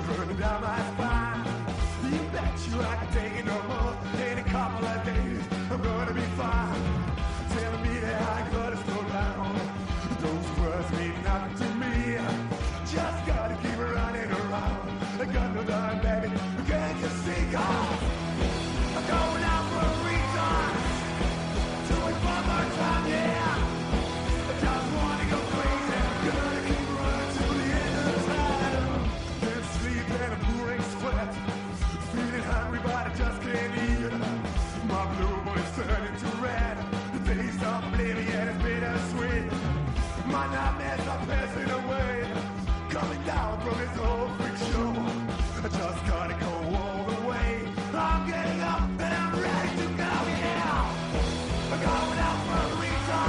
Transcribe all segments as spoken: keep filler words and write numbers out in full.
burning down my spine. You bet you I can take it no more. In a couple of days, I'm gonna be fine. Telling me that I gotta slow down. Those words mean nothing to me. Just gotta keep running around. I got no time, baby. Can't you see? Cause I'm going out for a reason. Do it one more time, yeah. I just wanna go crazy. Gonna keep running till the end of time. Can't sleep and I'm pouring sweat. Feeling hungry but I just can't eat. My blue boy's turning to red. The taste of oblivion is bittersweet. My nightmares are passing away. Coming down from this whole freak show. I just gotta go all the way. I'm getting up and I'm ready to go, yeah. I'm going out for a reason.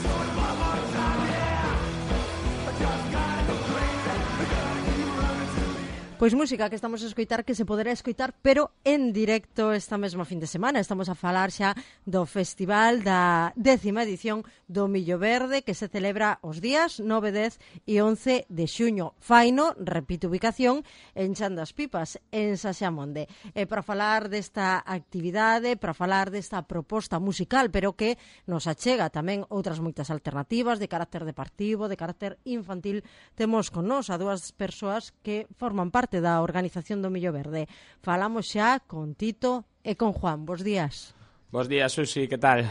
So it's one more time, yeah. I just gotta go crazy. I gotta keep running till the end. Pois música que estamos a escoitar que se poderá escoitar pero en directo esta mesma fin de semana. Estamos a falar xa do festival da décima edición do Millo Verde que se celebra os días nove, dez e once de xuño. Faino, repito ubicación, en Chan das Pipas, en Saxamonde. E para falar desta actividade, para falar desta proposta musical, pero que nos achega tamén outras moitas alternativas de carácter deportivo, de carácter infantil, temos con nós a dúas persoas que forman parte da organización do Millo Verde. Falamos xa con Tito e con Juan. Bos días. Bos días, Susi, que tal?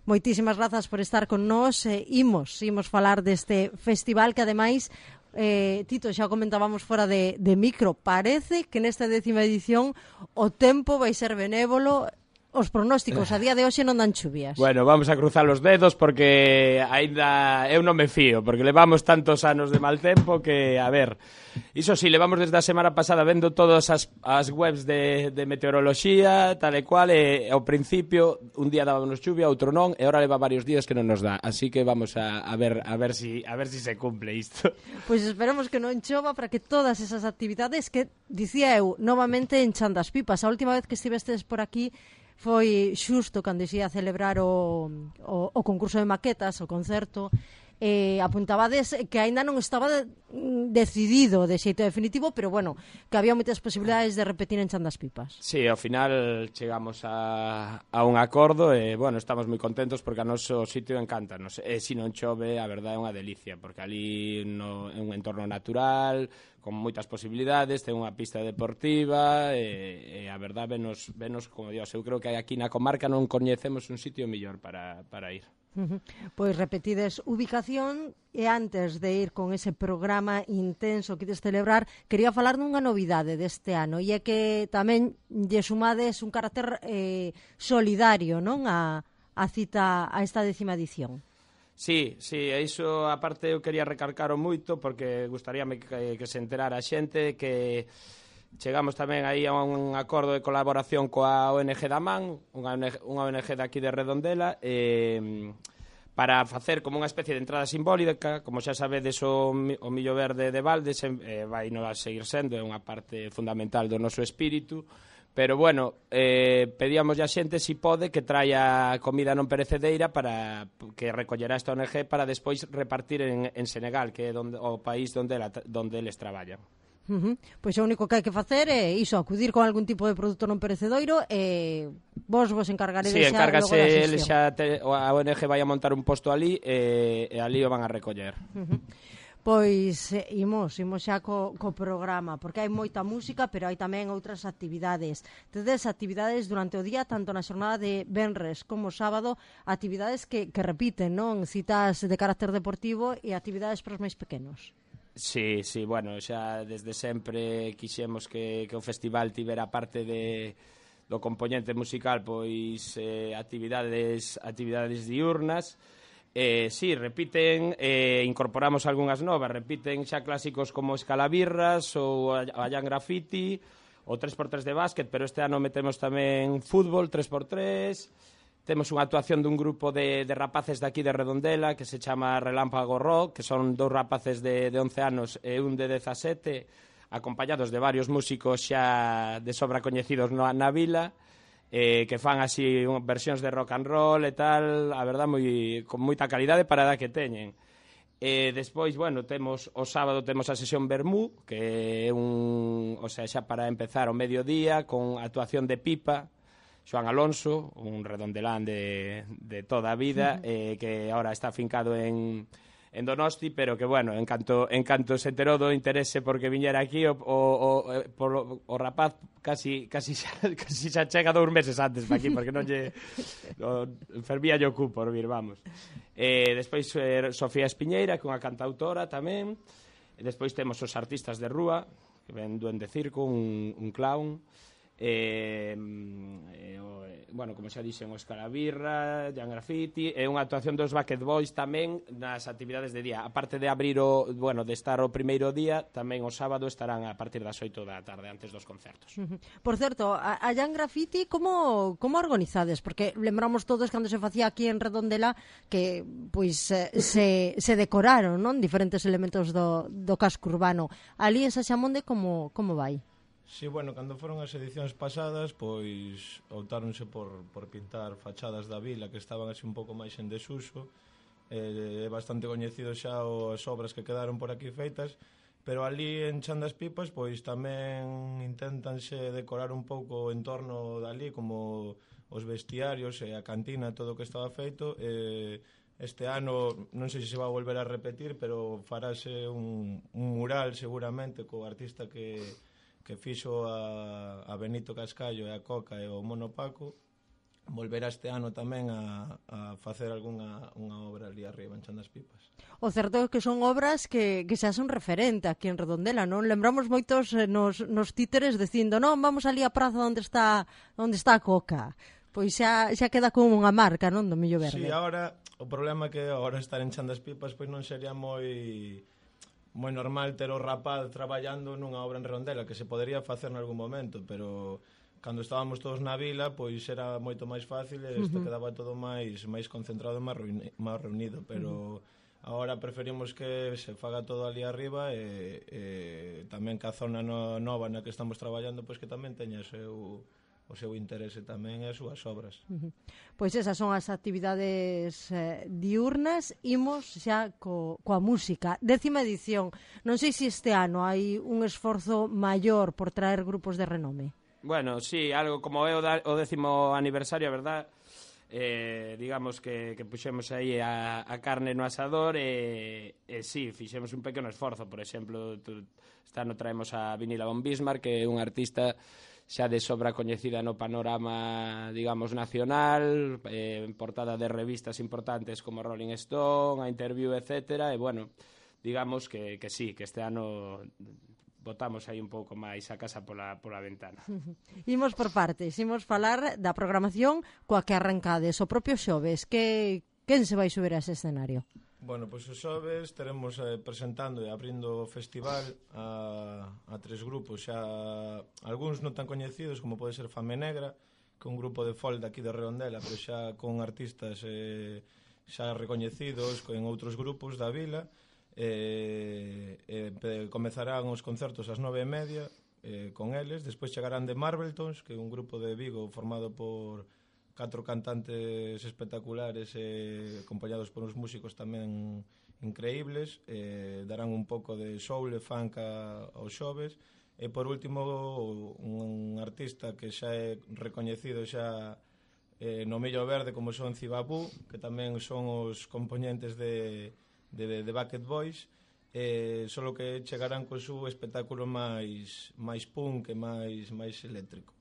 Moitísimas grazas por estar con nós. Eh, imos, imos falar deste festival que ademais, eh, Tito, xa comentábamos fora de, de micro, parece que nesta décima edición o tempo vai ser benévolo. Os pronósticos a día de hoxe non dan chuvias. Bueno, vamos a cruzar os dedos porque aínda eu non me fío, porque levamos tantos anos de mal tempo que, a ver, iso sí, levamos desde a semana pasada vendo todas as, as webs de, de meteoroloxía, tal e cual, e ao principio un día dábamos chuvia, outro non, e ahora leva varios días que non nos dá, así que vamos a, a ver a ver si a ver si se cumple isto. Pois esperemos que non chova para que todas esas actividades que, dicía eu, novamente en Chan das Pipas. A última vez que estivestes por aquí foi xusto cando se ia celebrar o, o, o concurso de maquetas, o concerto, eh, apuntabades que aínda non estaba de, decidido de xeito definitivo, pero bueno, que había moitas posibilidades de repetir en Chan das Pipas. Sí, ao final chegamos a, a un acordo e, bueno, estamos moi contentos porque a noso sitio encántanos. E se non chove, a verdade é unha delicia, porque ali no, é un entorno natural, con moitas posibilidades, ten unha pista deportiva e, e a verdade venos, venos como Dios. Eu creo que aquí na comarca non coñecemos un sitio mellor para, para ir. Uh-huh. Pois repetides ubicación e antes de ir con ese programa intenso que ides celebrar, quería falar dunha novidade deste ano e é que tamén lle sumades un carácter eh, solidario, non, a, a cita a esta décima edición. Sí, sí, e iso aparte eu quería recalcaro moito porque gustaríame que, que se enterara a xente que chegamos tamén aí a un acordo de colaboración coa O N G da Man, unha O N G de aquí de Redondela, eh, para facer como unha especie de entrada simbólica. Como xa sabedes, o, o Millo Verde de Valdes eh, vai non a seguir sendo, é unha parte fundamental do noso espírito. Pero, bueno, eh, pedíamos a xente si pode que traia comida non perecedereira para que recollerá esta O N G para despois repartir en, en Senegal, que é donde, o país donde, la, donde eles traballan. Uh-huh. Pois o único que hai que facer é iso, acudir con algún tipo de produto non perecedero e vos vos encargaredes sí, xa encárgase logo da el xa te, a O N G vai a montar un posto ali e, e ali o van a recoller. Uh-huh. Pois eh, imos, imos xa co, co programa, porque hai moita música, pero hai tamén outras actividades. Tedes actividades durante o día, tanto na xornada de venres como sábado, actividades que, que repiten, non? Citas de carácter deportivo e actividades para os máis pequenos. Sí, sí, bueno, xa desde sempre quixemos que, que o festival tivera parte de, do componente musical, pois eh, actividades, actividades diurnas. Eh, sí, repiten, eh, incorporamos algunhas novas, repiten xa clásicos como Escalabirras ou Allan Graffiti, o tres por tres de básquet, pero este ano metemos tamén fútbol, tres por tres. Temos unha actuación dun grupo de, de rapaces de aquí de Redondela que se chama Relámpago Rock, que son dous rapaces de, de once anos e un de dezasete, acompañados de varios músicos xa de sobra coñecidos na, na vila, eh, que fan así versións de rock and roll e tal, a verdad, moi, con moita calidade para a edad que teñen. E despois, bueno, temos o sábado temos a sesión Bermú, que é un, o sea, xa para empezar o mediodía con actuación de pipa, Xoan Alonso, un redondelán de, de toda a vida, uh-huh. eh, que ahora está afincado en, en Donosti, pero que, bueno, en canto, en canto se enterou do interese porque viñera aquí, o, o, o, por, o rapaz casi, casi, xa, casi xa chega dous meses antes para aquí, porque non lle fervía lle o cu por vir, vamos. Eh, despois eh, Sofía Espiñeira, que é unha cantautora tamén. E despois temos os artistas de rúa, que ven Duende Circo, un, un clown. Eh, eh, o, eh, bueno, como xa dixen, Óscar Abirra, Jan Graffiti, e unha actuación dos Bucket Boys tamén nas actividades de día. A parte de abrir o, bueno, de estar o primeiro día, tamén o sábado estarán a partir das oito da tarde, antes dos concertos. Uh-huh. Por certo, a, a Jan Graffiti como, como organizades? Porque lembramos todos cando se facía aquí en Redondela que pois eh, se, se decoraron, non? Diferentes elementos do, do casco urbano. Ali en Saxamonde como, como vai? Sí, bueno, cando foron as edicións pasadas, pois optáronse por, por pintar fachadas da vila que estaban así un pouco máis en desuso. É eh, bastante coñecido xa as obras que quedaron por aquí feitas, pero ali en Chan das Pipas, pois tamén intentanse decorar un pouco o entorno dali, como os vestiarios e a cantina, todo o que estaba feito. Eh, este ano, non sei se se vai volver a repetir, pero farase un, un mural seguramente co artista que... que fixo a, a Benito Cascallo e a Coca e o Mono Paco. Volverá este ano tamén a, a facer algunha unha obra ali arriba en Chan das Pipas. O certo é que son obras que, que xa son referente aquí en Redondela, non? Lembramos moitos nos, nos títeres dicindo, non, vamos ali á praza onde está onde está a Coca. Pois xa, xa queda como unha marca, non, do Millo Verde. Sí, agora, o problema é que agora estar en Chan das Pipas pois non sería moi... moi normal ter o rapaz traballando nunha obra en Redondela, que se podería facer en algún momento, pero cando estábamos todos na vila, pois era moito máis fácil e isto uh-huh. quedaba todo máis máis concentrado e máis, reuni- máis reunido, pero uh-huh. agora preferimos que se faga todo ali arriba e, e tamén que a zona no, nova na que estamos traballando, pois que tamén teña o seu o seu interese tamén e as súas obras. Uh-huh. Pois esas son as actividades eh, diurnas. Imos xa co, coa música. Décima edición. Non sei se este ano hai un esforzo maior por traer grupos de renome. Bueno, sí, algo como é o, da, o décimo aniversario, a verdad, eh, digamos que, que puxemos aí a, a carne no asador e, e sí, fixemos un pequeno esforzo. Por exemplo, tu, este ano traemos a Vinila von Bismarck, que é un artista xa de sobra coñecida no panorama, digamos, nacional, eh, en portada de revistas importantes como Rolling Stone, a Interview, etcétera, e, bueno, digamos que, que sí, que este ano botamos aí un pouco máis a casa pola, pola ventana. Imos por partes, imos falar da programación coa que arrancades. O propio xoves, que quen se vai subir a ese escenario? Bueno, pois os xoves teremos eh, presentando e abrindo o festival a, a tres grupos, xa algúns non tan coñecidos, como pode ser Fame Negra, que é un grupo de folk de aquí de Redondela, pero xa con artistas eh, xa recoñecidos en outros grupos da vila. Eh, eh, comezarán os concertos ás nove e media eh, con eles, despois chegarán The Marveltons, que é un grupo de Vigo formado por catro cantantes espectaculares e acompañados por uns músicos tamén increíbles, eh, darán un pouco de soul e funk aos xoves, e por último un artista que xa é recoñecido xa eh, no Millo Verde, como son Cibabú, que tamén son os componentes de, de, de Bucket Boys, eh, solo que chegarán co seu espectáculo máis, máis punk e máis, máis eléctrico.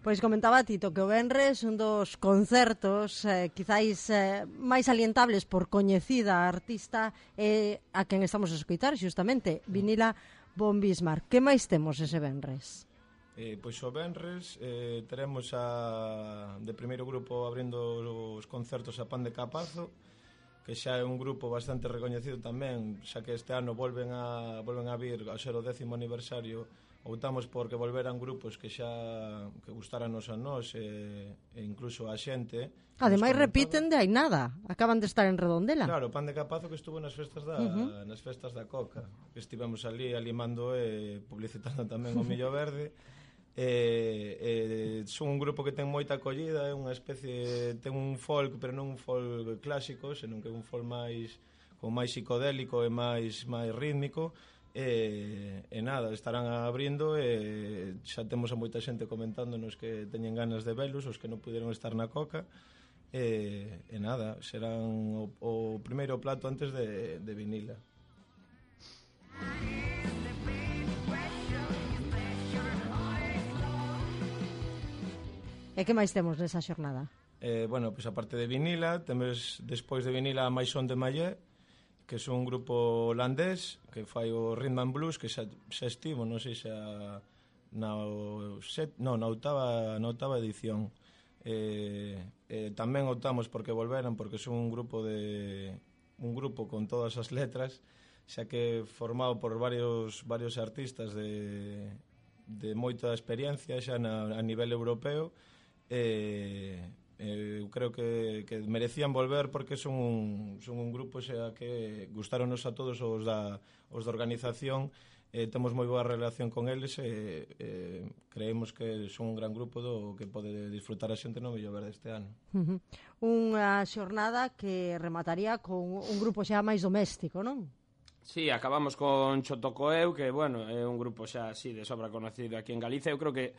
Pois comentaba Tito que o venres un dos concertos eh, quizáis eh, máis alientables por coñecida artista eh, a quen estamos a escoitar xustamente, Vinila von Bismarck. Que máis temos ese venres? Eh, pois o venres eh, teremos a, de primeiro grupo abrindo os concertos a Pan de Capazo, que xa é un grupo bastante recoñecido tamén, xa que este ano volven a, volven a vir ao ser o décimo aniversario optamos por que volveran grupos que xa que gustaраnos a nós e, e incluso a xente. Ademais repiten de hai nada, acaban de estar en Redondela. Claro, Pan de Capazo que estuvo nas festas da uh -huh. nas festas da Coca, que estivemos ali alimando e publicitando tamén o Millo Verde. E, e son un grupo que ten moita acollida, é unha especie, ten un folk, pero non un folk clásico, senón que é un folk máis como máis psicodélico e máis máis rítmico. E, e nada, estarán abrindo e xa temos a moita xente comentándonos que teñen ganas de velos, os que non puderon estar na Coca. E, e nada, serán o, o primeiro plato antes de, de vinila. E que máis temos nesa xornada? Eh, bueno, pois pues, aparte de vinila, temos despois de vinila a Maison de Mayé, que é un grupo holandés que fai o rhythm and blues, que xa, xa estivo, non sei xa na, set, no, na, octava, na octava edición. Eh, eh, tamén optamos porque volveran, porque son un grupo de un grupo con todas as letras, xa que formado por varios varios artistas de, de moita experiencia xa na, a nivel europeo. Eh, eh, eu creo que, que merecían volver porque son un, son un grupo xa que gustaronos a todos os da, os da organización, eh, temos moi boa relación con eles e eh, creemos que son un gran grupo do que pode disfrutar a xente no Millo Verde este ano. Uh -huh. Unha xornada que remataría con un grupo xa máis doméstico, non? Sí, acabamos con Chotocoeu, que, bueno, é un grupo xa así de sobra conocido aquí en Galicia. Eu creo que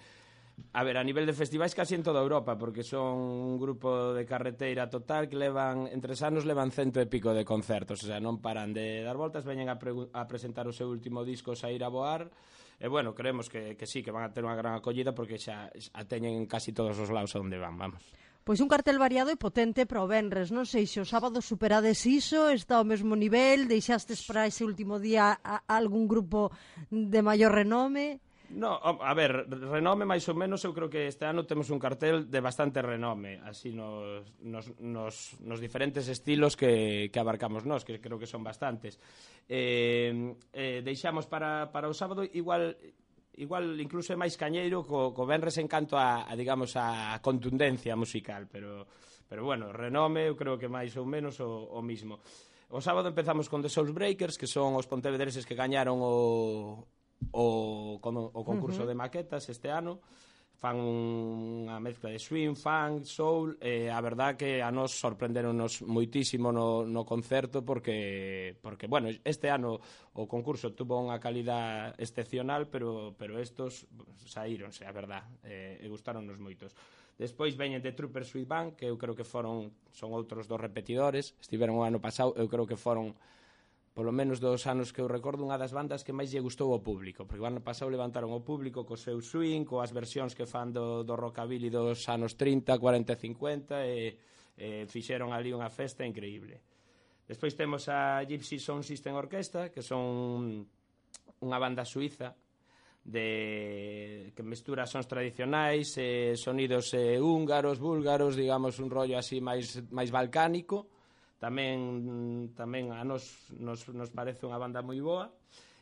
a ver, a nivel de festivais casi en toda Europa, porque son un grupo de carreteira total que levan, entre anos levan cento e pico de concertos, o sea, non paran de dar voltas, veñen a, a presentar o seu último disco Saír a Voar, e bueno, creemos que, que sí, que van a ter unha gran acollida porque xa a teñen en casi todos os lados onde van, vamos. Pois un cartel variado e potente para o venres, non sei se o sábado superades iso, está ao mesmo nivel, deixastes para ese último día a, a algún grupo de maior renome? No, a ver, renome máis ou menos, eu creo que este ano temos un cartel de bastante renome, así nos, nos, nos, nos diferentes estilos que, que abarcamos nós, que creo que son bastantes. Eh, eh, deixamos para, para o sábado igual... igual incluso é máis cañeiro co, co venres en canto a, a digamos, a contundencia musical, pero, pero bueno, renome eu creo que máis ou menos o, o mismo. O sábado empezamos con The Soulbreakers, que son os pontevedreses que gañaron o, o, o concurso uh-huh. de maquetas este ano. Fan unha mezcla de swing, funk, soul, e a verdad que a nos sorprenderonos moitísimo no, no concerto porque, porque, bueno, este ano o concurso tuvo unha calidad excepcional, pero, pero estos saíronse, a verdad, e, e gustaronnos moitos. Despois veñen de Trooper Sweet Band, que eu creo que foron, son outros dos repetidores, estiveron o ano pasado, eu creo que foron polo menos dos anos que eu recordo, unha das bandas que máis lle gustou ao público, porque o ano pasado levantaron o público co seu swing, coas versións que fan do, do rockabilly dos anos trinta, cuarenta e cincuenta, e, e fixeron ali unha festa increíble. Despois temos a Gypsy Sound System Orquestra, que son unha banda suiza de que mestura sons tradicionais, eh, sonidos eh, húngaros, búlgaros, digamos, un rollo así máis, máis balcánico. Tamén tamén a nos, nos, nos parece unha banda moi boa.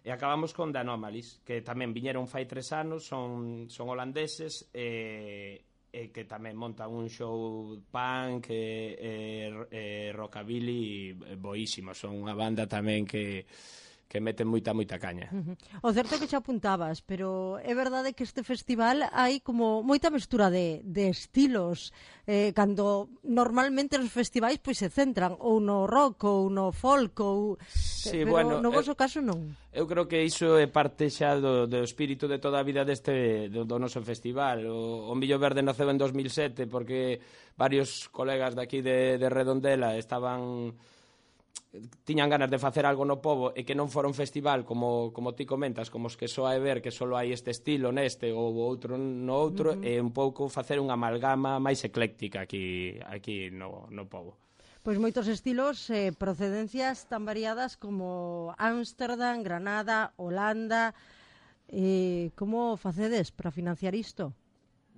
E acabamos con The Anomalies, que tamén viñeron fai tres anos, son, son holandeses e, e que tamén montan un show punk e, e, e rockabilly boísimo. Son unha banda tamén que que meten moita, moita caña. Uh-huh. O certo é que xa apuntabas, pero é verdade que este festival hai como moita mestura de, de estilos, eh, cando normalmente os festivais pois se centran ou no rock ou no folk, ou... Sí, pero bueno, no vosso eu, caso non. Eu creo que iso é parte xa do, do espírito de toda a vida deste do, do noso festival. O, o Millo Verde naceu en dos mil sete porque varios colegas daqui de, de Redondela estaban... tiñan ganas de facer algo no pobo e que non fora un festival como, como ti comentas, como os que só hai ver que só hai este estilo neste ou outro no outro, uh-huh. e un pouco facer unha amalgama máis ecléctica aquí, aquí no, no pobo. Pois moitos estilos, eh, procedencias tan variadas como Ámsterdam, Granada, Holanda. Eh, como facedes para financiar isto?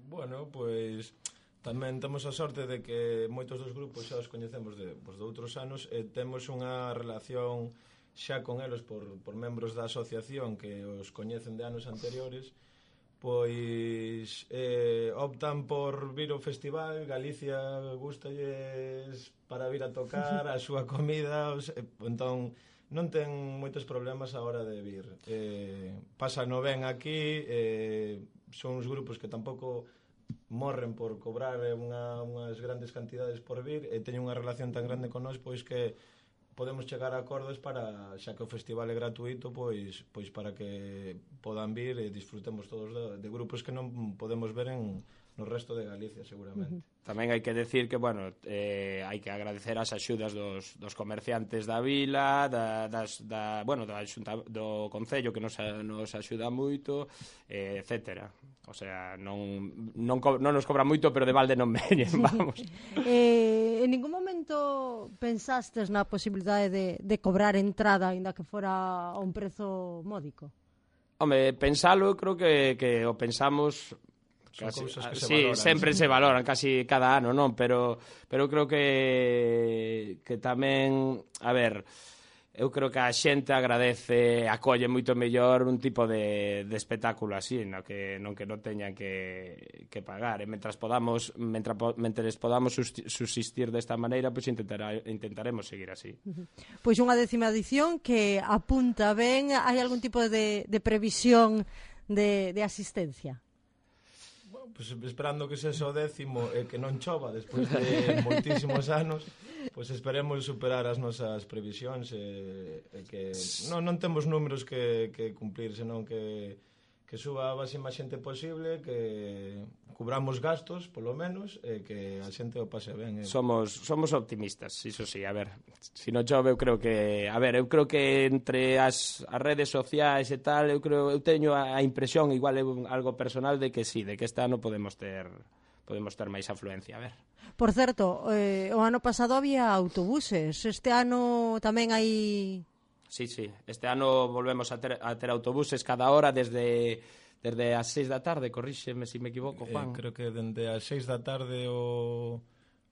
Bueno, pois... tamén temos a sorte de que moitos dos grupos xa os coñecemos de, pues, de outros anos e temos unha relación xa con eles por, por membros da asociación que os coñecen de anos anteriores, pois eh, optan por vir ao festival. Galicia gústalles para vir a tocar, a súa comida, os, eh, entón non ten moitos problemas a hora de vir. Eh, Pásano ben aquí, eh, son uns grupos que tampouco morren por cobrar unha, unhas grandes cantidades por vir, e teñen unha relación tan grande con nós, pois que podemos chegar a acordos para, xa que o festival é gratuito, pois pois para que podan vir e disfrutemos todos de, de grupos que non podemos ver en no resto de Galicia, seguramente. Uh-huh. Tamén hai que decir que, bueno, eh, hai que agradecer as axudas dos, dos comerciantes da vila, da, das, da, bueno, da xunta, do Concello, que nos, nos axuda moito, eh, etcétera. O sea, non, non, co, non nos cobra moito, pero de balde non veñen, sí. Vamos. Eh, en ningún momento pensastes na posibilidade de, de cobrar entrada, ainda que fora a un prezo módico? Home, pensalo, creo que, que o pensamos... Casi, que se sí, valoran, sempre sí. se valoran, casi cada ano, non? Pero, pero creo que, que tamén, a ver, eu creo que a xente agradece, acolle moito mellor un tipo de, de espectáculo así, no que non que non teñan que, que pagar. E mentras podamos, mentre, mentres podamos subsistir desta maneira, pois pues intentará, intentaremos seguir así. Uh-huh. Pois unha décima edición que apunta ben. Hai algún tipo de, de previsión de, de asistencia? Pues esperando que sexa o décimo e que non chova despois de moitísimos anos, pois esperemos superar as nosas previsións e, e que non, non temos números que, que cumplir, senón que, que suba a máxima xente posible, que cubramos gastos, polo menos, e que a xente o pase ben. Eh. Somos somos optimistas, iso sí, a ver, se non chove eu creo que, a ver, eu creo que entre as, as redes sociais e tal, eu creo, eu teño a impresión, igual é algo personal, de que sí, de que este ano podemos ter podemos ter máis afluencia, a ver. Por certo, eh, o ano pasado había autobuses, este ano tamén hai... Sí, sí, este ano volvemos a ter, a ter autobuses cada hora desde... Desde as seis da tarde, corríxeme se me equivoco, Juan. Eh, creo que dende as seis da tarde o...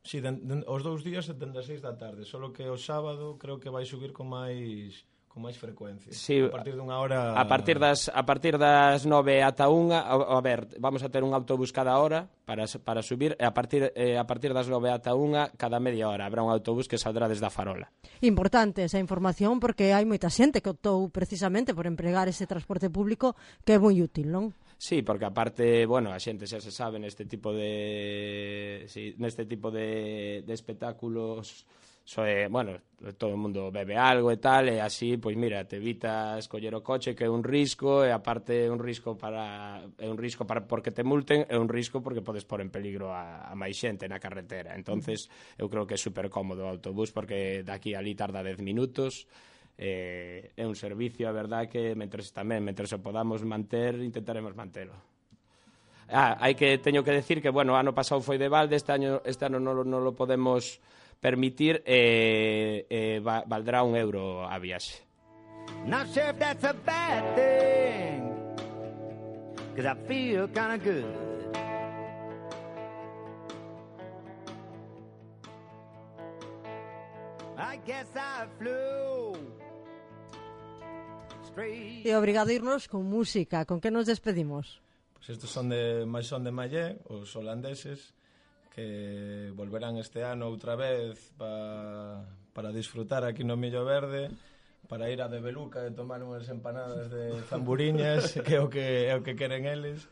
Sí, den, den, os dous días dende as seis da tarde, solo que o sábado creo que vai subir con máis con máis frecuencia. Sí, a partir dunha hora... A partir das a partir das nove ata unha, a, a ver, vamos a ter un autobús cada hora para para subir, e a partir eh, a partir das nove ata unha cada media hora habrá un autobús que saldrá desde a Farola. Importante esa información, porque hai moita xente que optou precisamente por empregar ese transporte público, que é moi útil, non? Sí, porque aparte, bueno, a xente xa se sabe neste tipo de sí, neste tipo de, de espectáculos, so, eh, bueno, todo o mundo bebe algo e tal, e así, pois mira, te evitas coller o coche, que é un risco, e aparte é un risco para é un risco para porque te multen, é un risco porque podes pôr en peligro a, a máis xente na carretera. Entonces, eu creo que é super cómodo o autobús, porque daqui a ali tarda dez minutos. Eh, é un servicio, a verdad, que mentres tamén, mentres o podamos manter, intentaremos mantelo. Ah, hai que teño que decir que, bueno, ano pasado foi de balde, este ano este ano non, non lo podemos permitir, e eh, eh, va, valdrá un euro a viaxe. Not sure if that's a bad thing, 'cause I feel kind of good. I guess I flew straight. E obrigado a irnos con música. Con que nos despedimos? Pues estos son de máis son de Mallé, os holandeses, que volverán este ano outra vez pa, para disfrutar aquí no Millo Verde, para ir a de Beluca e tomar unhas empanadas de zamburiñas, que é o que é o que queren eles.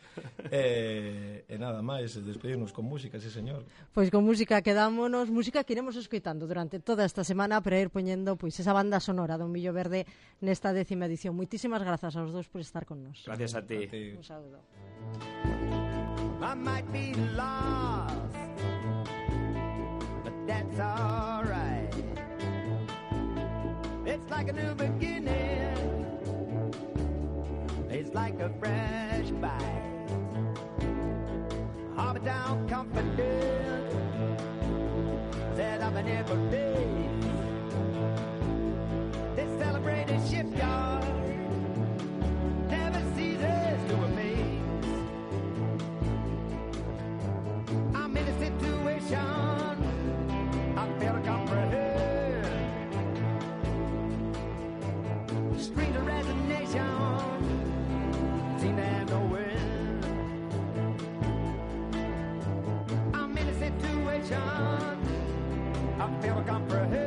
E, e nada máis, despedirnos con música, sí señor. Pois con música quedámonos, música que iremos escoitando durante toda esta semana para ir poñendo pois esa banda sonora do Millo Verde nesta décima edición. Moitísimas grazas aos dous por estar con nos. Gracias a ti. A ti. Un saúdo. I might be lost, but that's alright. It's like a new beginning, it's like a fresh bite. Harbor Town confident, set up an every day. This celebrated shipyard never ceases to amaze. I'm in a situation I fail to comprehend. I feel comprehension.